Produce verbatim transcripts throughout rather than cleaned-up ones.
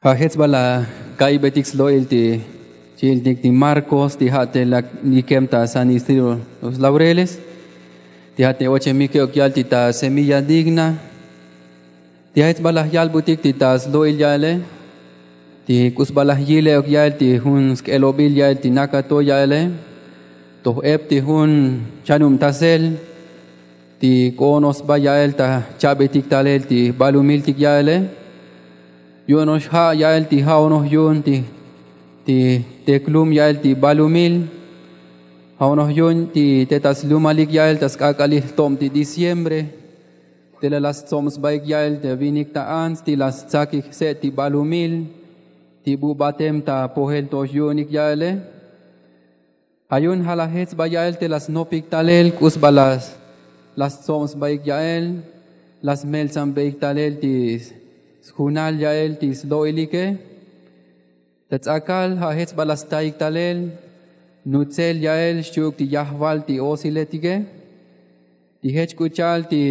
Ja' jech sba laj ka'ibetik slo'il ti chi'iltik ti marcos ti ja' te lak nikem ta san istrilo los laureles. Ti ja' te ochemike ok ya'el ti ta semilla digna. Ti ja' jech sba laj yalbutik ti ta slo'il ya'ele ti k'u sba laj yile ok ya'el ti jun sk'elobil ya'el ti nakato ya'ele. Toj ep ti jun chanubtasel ti k'u ono'ox sba ya'el ta chabetik talel ti balumiltik ya'ele. Yu'uno'ox ja' ya'el ti ja'onoj yu'un ti teklum ya'el ti balumil. Ja'onoj yu'un ti te ta slumalik ya'el ta sk'ak'alil jtob ti diciembre. Te la la stsob sbaik ya'el te vinik ta ants ti la stsakik se' ti balumil ti bu batem ta pojel to'ox yu'unik ya'ele. Ja' yu'un ja' laj jech sba ya'el te la snopik talel k'u sba la stsob sbaik ya'el la smeltsan beik talel ti sjunal ya'el ti slo'ilike. Ta ts'akal ja' jech sba la staik talel nutzel ya'el xchi'uk ti yajval ti otsiletike. Ti jech k'u cha'al ti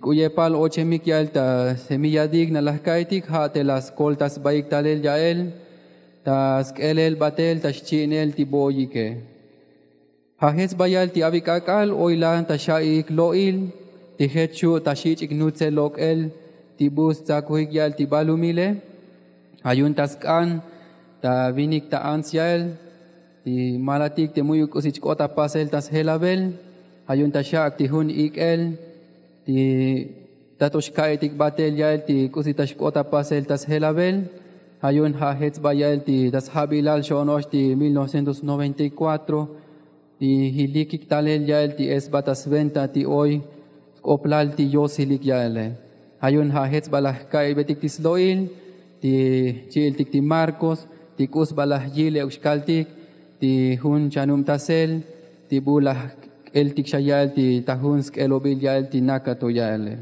k'u yepal ochemik ya'el ta semilla digna laj ka'itik ja' te la skolta sbaik talel ya'el ta sk'elel batel ta xchi'inel ti bo'oyike. Ja' jech sba ya'el ti avik k'ak'al oy la ta xa'iik lo'il ti jech xu' ta xich'ik nutzel lok'el ti bu stsakujik ya'el ti balumile. Ja' yu'un ta sk'an ta vinik ta ants ya'el ti malatik te mu'yuk k'usi chk'ot ta pasel ta sjelabel. Ja' yu'un ta xak' ti jun ik'el ti tato xka'itik batel ya'el ti k'usi ta xk'ot ta pasel ta sjelabel. Ja' yu'un ja' jech sba ya'el ti ta sjabilal xo'ono'ox ti mil novecientos noventa y cuatro ti jilikik talel ya'el ti esba ta sventa ti oy sk'oplal ti yotsilik ya'ele. Ja' yu'un ja' jech sba laj ka'ibetik ti slo'il ti chi'iltik ti marcos ti k'u sba laj yile ok xkaltik ti jun chanubtasel ti bu laj k'eltik xa ya'el ti ta jun sk'elobil ya'el ti nakato ya'ele.